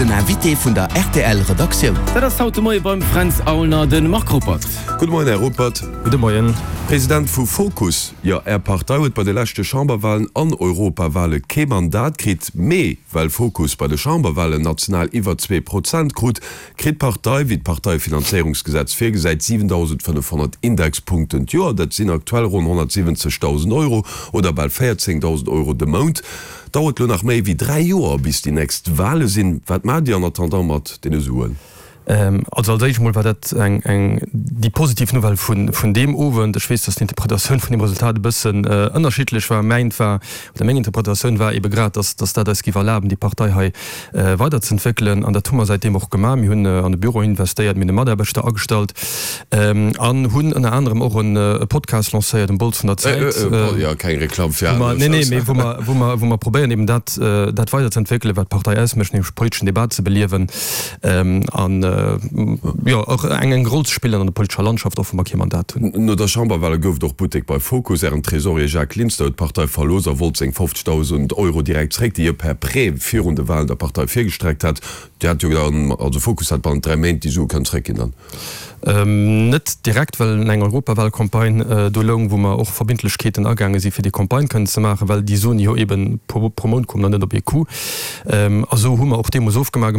Den Invité vun der rtl Redaktioun. Dat ass haut de Moie beim Fränz Aulner de Marc Ruppert. Gudde Moien, Här Ruppert. Gudde Moien. President vu Fokus, jo, Är Partei huet bei de leschte Chamberwahlen an Europawale kee Mandat kritt, mee well Fokus bei de Chamberwahlen national iwwer 2% krut, kritt d'Partei, wéi d'Parteifinanzéierungsgesetz virgesäit, 7.500 Indexpunkten d'Joer. Dat sinn aktuell ronn 170.000 Euro oder bal 14.000 Euro de Mount. Dauert lo nach méi wéi 3 Joer bis déi nächst Wale sinn. Wat maacht Dir en attendant mat deene Suen? Also als éischt emol war dat eng eng déi positiv Nouvelle vun vun deem Owend. Ech weess, datt d'Interpretatioun vun deem Resultat e bëssen ënnerschiddlech war. Mäint war, oder meng Interpretatioun war ebe grad, datt datt dat eis géif erlaben, déi Partei hei weiderzëentwéckelen. An dat hu mer säitdeem och gemaach. Mir hunn an e Büro investéiert, mir hunn e Mataarbechter agestallt an hunn ënner anerem och e Podcast lancéiert, Um Bols vun der Zäit. Jo, keng Reklamm fir aner. Nee, nee, mee wou mer, wou mer, wou mer probéieren eben dat, dat weiderzëentwéckelen, wat d'Partei ausmécht, nämlech politeschen Debat ze beliewen an, jo, och eng, eng Roll ze spillen an der politescher Landschaft, och wa mer kee Mandat hunn. No der Chamberwale gouf et och Buttek bei Fokus. Ären Tresorier Jacques Linster huet d'Partei verlooss a wollt seng 50.000 Euro direkt zréck, déi hie per Prêt virun de Walen der Partei virgestreckt hat. Dir hat jo dann, also Fokus hat bannent 3 Méint déi Sue kënnen zréckginn dann? Net direkt, well eng Europawalcampagne do loung, wou mer och Verbindlechkeeten agaange si fir déi Campagne kënnen ze maachen, well déi Suen jo eben pro Mount kommen an net op ee Coup. A sou hu mer och deemools ofgemaach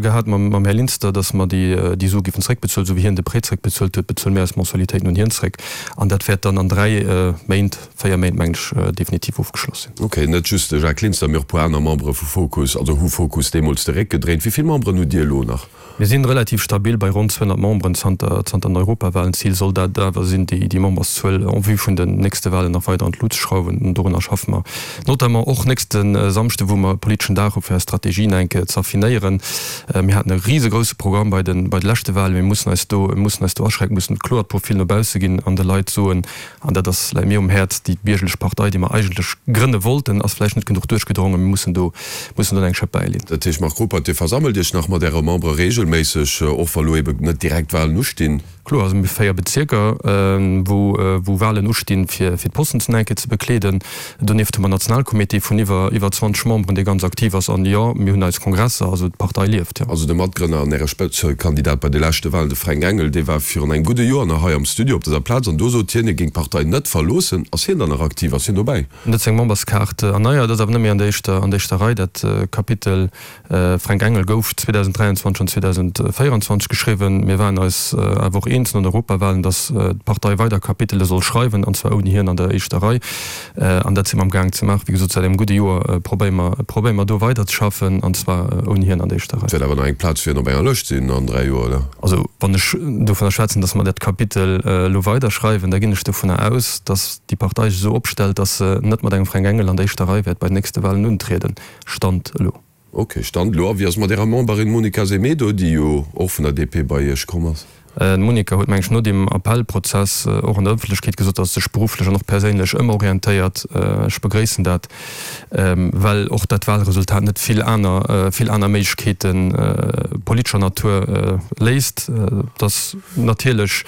gehat mam Här Linster, datt mer déi Sue géifen zréckbezuelen. Esou wéi hien de Prêt zréckbezuelt huet, bezuele mir eis Mensualitéiten un hien zréck. An dat wäert dann an 3 Méint, 4 Méint mengen ech, definitiv ofgeschloss sinn. Ok, net just de Jacques Linster, mee och e puer aner Membere vu Fokus, also hu Fokus deemools de Réck gedréint. Wéi vill Memberen hutt Dir elo nach? Mir sinn relativ stabil bei ronn 200 Memberen zanter zanter den Europawahlen. D'Zil soll dat awer sinn, déi déi Memberszuel en vue vun den nächste Wahlen nach weider an d'Lut ze schrauwen. An dorunner schaffe mer notamment och nächste Samschde, wou mer e politeschen Dag hu fir eis Strategien eng Kéier ze affinéieren. Mir haten e risegrousse Programm bei de bei de leschte Wahlen. Mir mussen eis do mir mussen eis do aschränken, mussen e kloert Profil no bausse ginn an de Leit soen, An dat ass, läit mir um Häerz, déi biergerlech Partei, déi mer eigentlech grënne wollten, ass vläicht net genuch duerchgedrongen. Mir mussen do, mussen do nach eng Schëpp bäileen. Dat heescht, Marc Ruppert, Dir versammelt Iech nach mat Äre Membere regelméisseg, och wa lo eben net direkt Wahlen ustinn? Kloer, also mir hu 4 Bezierker, wou, wou Wahlen ustinn, fir, fir d'Posten ze enke ze bekleeden. Donieft hu mer en Nationalcomité vun iwwer, iwwer 20 Memberen, dee ganz aktiv ass. An jo, mir hunn eis Kongresser, also d'Partei lieft, jo. Also de Matgrënner an Äre Spëtzekandidat bei de leschte Wahlen, de Fränk Engel, dee war virun engem gudde Joer nach hei am Studio op dëser Plaz an do sot hien, hie géing d'Partei net verloossen. Ass hien dann nach aktiv? Ass hien dobäi? En huet seng Memberskaart erneiert, ass awer net méi an der éischter, an der éischter Rei. Dat Kapitel Fränk Engel gouf 2023 an 2024 geschriwwen. Mir waren eis awer och eens no den Europawahlen, datt d'Partei weider Kapitele soll schreiwen, an zwar ouni hien an der éischter Rei. An dat si mer am Gaang ze maachen. Wéi gesot, säit engem gudde Joer probéiere mer, probéiere mer do weiderzeschaffen, an zwar ouni hien an der éischter Rei. Et wäert awer nach eng Plaz fir hien op enger Lëscht sinn an 3 Joer, oder? Also, wann ech dovunner schwätzen, datt mer dat Kapitel elo weiderschreiwen, da ginn ech dovunner aus, datt déi Partei sech esou opstellt, datt se net mat engem Fränk Engel an der éischter Rei wäert bei den nächste Wahlen untrieden. Stand elo. Ok, Stand elo. A wéi ass et mat Ärer Memberin Monica Semedo, déi jo och vun der DP bei Iech komm ass? D'Monica huet, meng ech, no deem Appellprozess och an der Ëffentlechkeet gesot, datt se sech berufflech an och perséinlech ëmorientéiert. Ech begréissen dat, well och dat Wahlresultat net vill aner, vill aner Méiglechkeete politescher Natur léisst. Et ass natierlech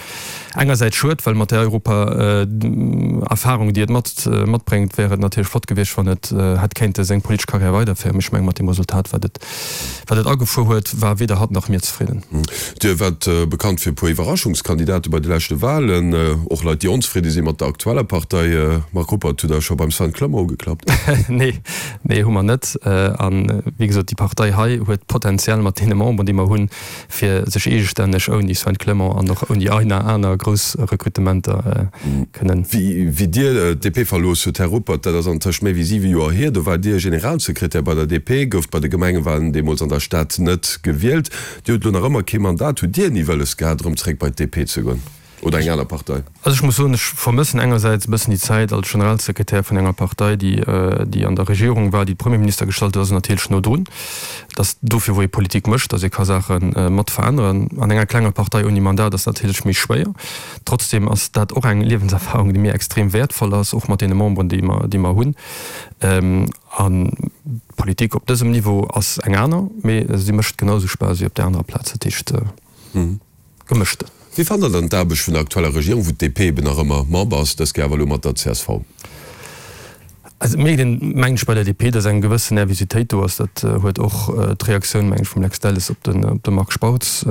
Engersäits schued, well mat där Europa-Erfahrung, déi et matbréngt, wär et natierlech flott gewiescht, wann et hätt kéinte seng politesch Karriär weiderféieren. Mee ech mengen, mat deem Resultat, wat et wat et agefuer huet, war weder hatt nach mir zefridden. Dir waart bekannt fir e puer Iwwerraschungskandidate bei de leschte Wahlen, och Leit, déi onzefridde si mat der aktueller Partei. Marc Ruppert, hutt Der scho beim Sven Clement ugeklappt? Nee, nee, hu mer net. A wéi gesot, déi Partei hei huet potenziell mat deene Memberen, déi mer hunn, fir sech eegestänneg ouni Sven Clement an och ouni einer aner grouss Rekrutementer kënnen. Wéi Dir d'DP verlooss hutt, Här Ruppert, dat ass antëscht méi wéi 7 Joer hier, do waart Dir Generalsekretär bei der DP, gouft bei de Gemengewalen deemools an der Stad net gewielt. Dir hutt elo nach ëmmer kee Mandat. Hutt Dir ni wëlles gehat, erëm zréck bei d'DP ze goen? Oder eng aner Partei? Also ech muss soen, ech vermëssen engersäits e bëssen déi Zäit als Generalsekretär vun enger Partei, déi, déi an der Regierung war, déi de Premierminister gestallt huet, ass natierlech no drun. Et ass dofir, wou ee Politik mécht, datt ee ka Saache mat veränneren. An enger klenger Partei ouni Mandat ass natierlech méi schwéier. Trotzdem ass dat och eng Liewenserfahrung, déi mir extrem wäertvoll ass, och mat deene Memberen, déi mer, déi mer hunn. An d'Politik op dësem Niveau ass eng aner, mee si mécht genau esou Spaass wéi op där anerer Plaz. Dat heescht. Gemëschte. Wéi fannt der dann d'Aarbecht vun der aktueller Regierung, wou d'DP eben nach ëmmer Member ass, dës Kéier awer elo mat der csv? Also et mierkt een, mengen ech, bei der DP, datt eng gewëssen Nervositéit do ass. Dat huet och d'Reaktioun, mengen ech, vum Lex Delles op de Marc Spautz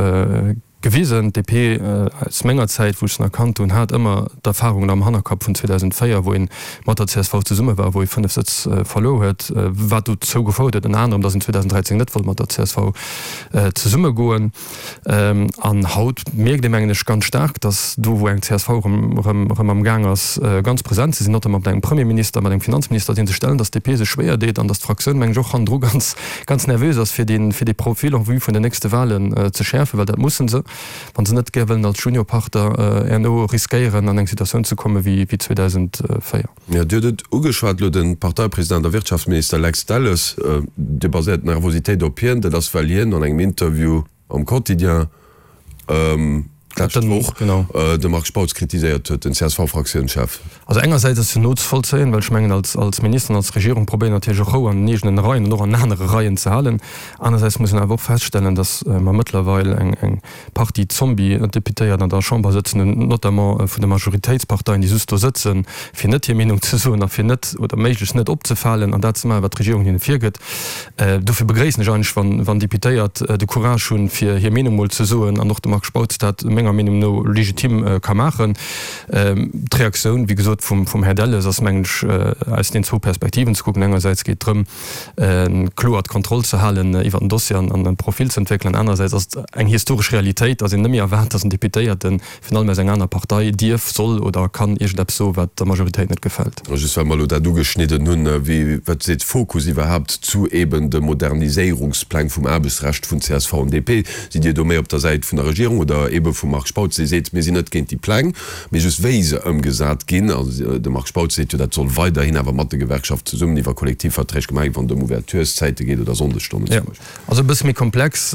gewisen. D'DP aus menger Zäit, wou ech se nach kannt hunn, hat ëmmer d'Erfahrung am Hannerkapp vun 2004, wou ee mat der csv zesumme war, wou ee 5 Sëtz verluer huet, wat dozou gefouert huet ënner anerem, datt een 2013 net wollt mat der csv zesummegoen. An haut mierkt ee, mengen ech, ganz staark, datt do, wou eng csv erëm am Gaang ass, ganz present ze sinn, notamment mat engem Premierminister, mat engem Finanzminister, dee sech stellen, datt d'DP sech schwéier deet an datt d'Fraktioun, mengen ech, och hannendru ganz, ganz nervös ass, fir dee, fir dee Profil en vue vun den nächste Wahlen ze schäerfen, well dat musse se, wa se net gär wëllen als Juniorpartner herno riskéieren, an eng Situatioun ze komme wéi 2004. Jo, Dir hutt et ugeschwat elo, de Parteipresident a Wirtschaftsminister Lex Delles, Dir baséiert d'Nervositéit op hien. Dat ass, well hien an engem Interview am Quotidien d'lescht Woch de Marc Spautz kritiséiert huet, den CSV-Fraktiounschef. Also engersäits ass jo nozevollzéien, well ech mengen, als Minister an als Regierung probéieren natierlech och Rou an den eegenen Reien an och an anere Reien ze halen. Anersäits muss een awer och feststellen, datt mer mëttlerweil eng Partie Zombie-Deputéiert an der Chamber sëtzen hunn, notamment vun de Majoritéitsparteien, déi just do sëtzen, fir net hir Meenung ze soen a fir net oder méiglechst net opzefalen an dat ze maachen, wat d'Regierung hinne virgëtt. Dofir begréissen ech eigentlech, wann, wann Deputéiert de Courage hunn, fir hir Meenung mol ze soen an och de Marc Spautz dat menger Meenung no legitim ka maachen. D'Reaktioun, wéi gesot, vum, vum Här Delles ass, mengen ech, aus den zwou Perspektiven ze kucken. Engersäits geet et drëm, kloer d'Kontroll ze halen iwwer den Dossier an e Profil ze entwéckelen. Anerersäits ass et eng historesch Realitéit, datt een net méi erwaart, datt en Deputéierte virun allem aus enger aner Partei dierf, soll oder kann iergendeppes soen, wat der Majoritéit net gefält. Just well mer elo dat ugeschnidden hunn, wéi, wat seet Fokus iwwerhaapt zu eben de Moderniséierungspläng vum Aarbechtsrecht vun csv an DP? Sidd Dir do méi op der Säit vun der Regierung oder ebe vum Marc Spautz, dee seet, mir sinn net géint déi Pläng, Mee just wéi se ëmgesat ginn, a de Marc Spautz seet jo, dat soll weiderhin awer mat de Gewerkschaften zesummen iwwer Kollektivverträg gemaach ginn, wann et ëm Ouvertureszäite geet oder Sonndesstonnen zum Beispill. Also e bësse méi komplex.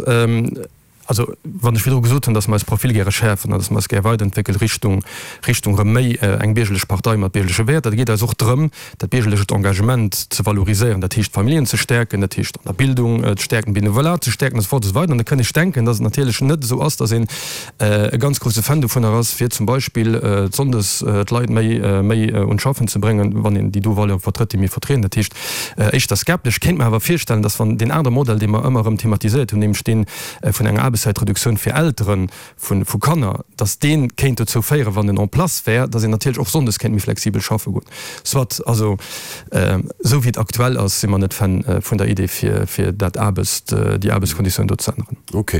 Also wann ech virdru gesot hunn, datt mer eis Profil gäre schäerfen an datt mer eis gär weiderentwéckele Richtung, Richtung erëm méi eng biergerlech Partei mat biergerleche Wäerter, da geet eis och drëm, dat biergerlecht Engagement ze valoriséieren, dat heescht d'Familljen ze stäerken, dat heescht an der Bildung ze stäerken, d'Benevolat ze stäerken a sou fort a sou weider. An da kënn ech denken, datt et natierlech net esou ass, datt een e ganz grousse Fan dovunner ass, fir zum Beispill sonndes d'Leit méi méi un d'Schaffen ze bréngen, wann een déi do Valeure vertrëtt, déi mir vertrieden. Dat heescht éischter skeptesch. Kéint mer awer virstellen, datt wann deen anere Modell, dee mer ëmmer erëm thematiséiert hunn, nämlech dee vun enger Aarbechtszäitreduktioun fir Eltere vu Kanner, datt dee kéint dozou féieren, wann en en place wär, datt een natierlech och sonndes kéint méi flexibel schaffe goen. Soit, also esou wéi et aktuell ass, si mer net Fan vun der Idee, fir dat Aarbechts, déi Aarbechtskonditioun do ze änneren. Ok.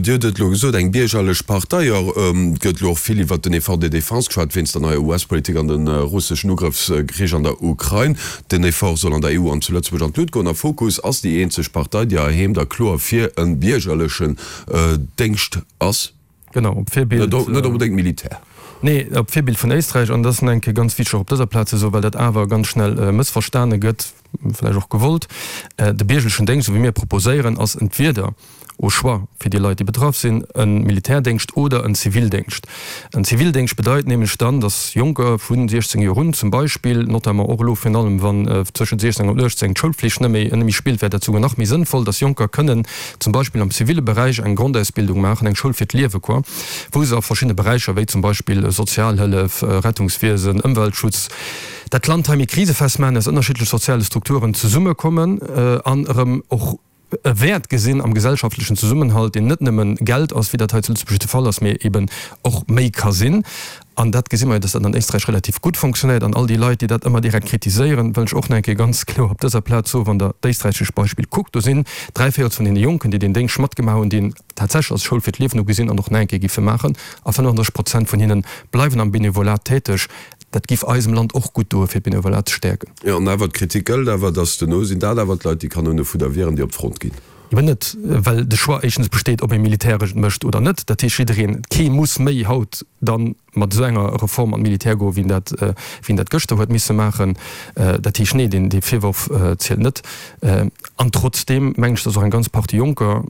Dir hutt et elo gesot, eng biergerlech Partei. Jo, et gëtt elo och vill iwwert den Effort de défense geschwat, wéinst der neier US-Politik an de russeschen Ugrëffskrich an der Ukrain. Den Effort soll an der EU an zu Lëtzebuerg an d'Lut goen. A Fokus ass déi eenzeg Partei, déi heiheem da kloer fir e biergerlechen Déngscht ass. Genau, op Virbild. Net onbedéngt Militär. Nee, op Virbild vun Éisträich. An dat ass nach eng Kéier ganz wichteg och op dëser Plaz ze soen, well dat awer ganz schnell mëssverstane gëtt, vläicht och gewollt, De biergerlechen Déngscht, esou wéi mir e proposéieren, ass entweder au choix fir déi Leit, déi betraff sinn, e Militärdéngscht oder en Zivildéngscht. En Zivildéngscht bedeit nämlech dann, dass Jonker vu 16 Joer un zum Beispill, notamment och elo virun allem wann tëschent 16 an 18 d'Schoulflicht net méi, net méi spillt, wär dat souguer nach méi sënnvoll, dass Jonker kënnen zum Beispill am ziville Beräich eng Grondausbildung maachen, eng Schoul fir d'Liewe quoi, wou se a verschiddene Beräicher, wéi zum Beispill Sozialhëllef, Rettungswiesen, Ëmweltschutz, dat Land hei méi krisefest maachen, aus ënnerschiddleche soziale Strukturen zesummekommen an erëm och e Wäert gesinn am gesellschaftlechen Zesummenhalt, deen net nëmme Geld ass, wéi dat hei zu Lëtzebuerg de Fall ass, mee eben och méi ka sinn. An dat gesi mer jo, dass dat an Éisträich relativ gutt fonctionnéiert. An all déi Leit, déi dat ëmmer direkt kritiséieren, wëll ech och nach eng Kéier ganz kloer op dëser Plaz soen, Wann Der d'éisträichescht Beispill kuckt, do sinn dräivéierels vun deene Jonken, déi deen Déngscht matgemaach hunn, déi en tatsächlech als Schoul fir d'Liewen ugesinn an och nach eng Kéier giffe maachen, a 35 Prozent vun hinne bleiwen am Benevolat täteg. Dat giff eisem Land och gutt doen, fir d'Benevolat ze stäerken. Jo, an awer, d'Kritik gëllt awer, dass duerno sinn dat awer d'Leit, déi Kanoune fudder wieren, déi op d'Front ginn. Eben net, well de Choix éischtens besteet, ob ee Militäresch et mécht oder net. Dat heescht, jiddereen, kee muss méi haut da mat esou enger Reform an d'Militär goen, wéi en dat, wéi en dat gëschter huet misse maachen. Dat heescht, nee, deen, dee Virworf zielt net. An trotzdeem mengen ech, dass och eng ganz Partie Jonker,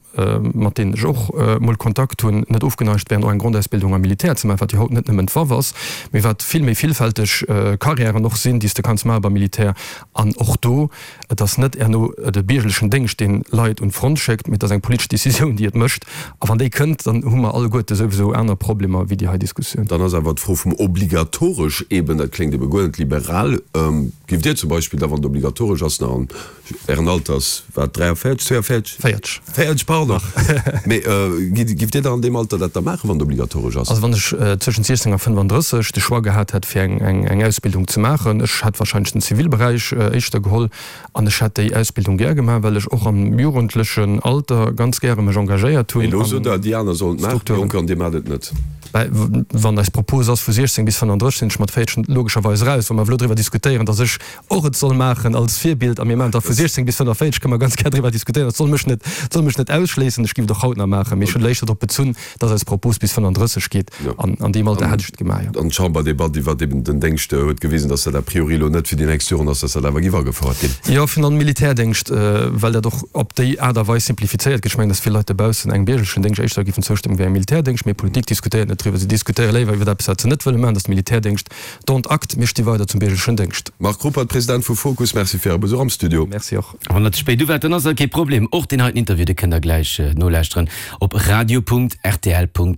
mat deenen ech och mol Kontakt hunn, net ofgeneigt wären, och eng Grondausbildung am Militär ze maachen, wat jo haut net nëmmen d'Waff ass, mee wat vill méi villfälteg Carrièren och sinn, déi s de kanns maache beim Militär. An och do, et ass net herno de biergerlechen Déngscht, deen Leit un d'Front schéckt, mee et ass eng politesch Décisioun, déi et mécht. A wann déi kënnt, dann hu mer alleguerte souwisou aner Problemer wéi déi hei Diskussioun. Dann ass. ass awer d'Fro vum obligatoresch eben, dat kléngt ebe guer net liberal. Giff Dir zum Beispill da, wann et obligatoresch ass, nach an Ären Alter ass wat, 43, 42? 40. 40, pardon. Mee giff Dir da an deem Alter dat da maachen, wann et obligatoresch ass? Also wann ech zwëschent 16 a 35 de Choix gehat hätt fir eng Ausbildung ze maachen, ech hätt wahrscheinlech den Zivilberäich éischter geholl an ech hätt déi Ausbildung gär gemaach, well ech och am jugendlechen Alter ganz gäre mech engagéiert hunn. Mee elo sot Der, déi aner sollen et maachen, déi Jonker, an Dir maacht et net. Wann eis Propos ass vu 16 bis 35, sinn ech mat 40 logescherweis eraus. Wa mer elo driwwer diskutéieren, datt ech och et soll maachen als Virbild, a mir maachen et da vu 16 bis 45, kënne mer ganz gär driwwer diskutéieren. Dat soll mech net, soll mech net ausschléissen. Ech géif et och haut nach maachen, mee ech hunn léischter drop bezunn, datt eis Propos bis 35 geet. An an deem Alter hätt ech et gemaach, jo. An d'Chamberdebatt iwwert eben den Déngscht huet gewisen, datt dat a priori elo net fir déi nächst Joren ass, datt dat awer géif agefouert ginn. Jo, virun allem Militärdéngscht, well dat och op déi Aart a Weis simplifizéiert gëtt. Ech mengen, datt vill Leit dobaussen engem biergerlechen Déngscht éischter géifen zoustëmmen wéi engem Militärdéngscht. Mee Politik diskutéiert net driwwer. Si diskutéiere léiwer iwwer eppes, wat se net wëlle maachen, dat ass de Militärdéngscht. Dont acte. Mir sti weider zum biergerlechen Déngscht. Marc Ruppert, President vu Fokus, Merci fir Äre Besuch am Studio. Merci och. Wann der ze spéit uwaart, dann ass dat kee Problem. Och deen heiten Interview, dee kënnt der gläich nolauschteren op radio.rtl.lu.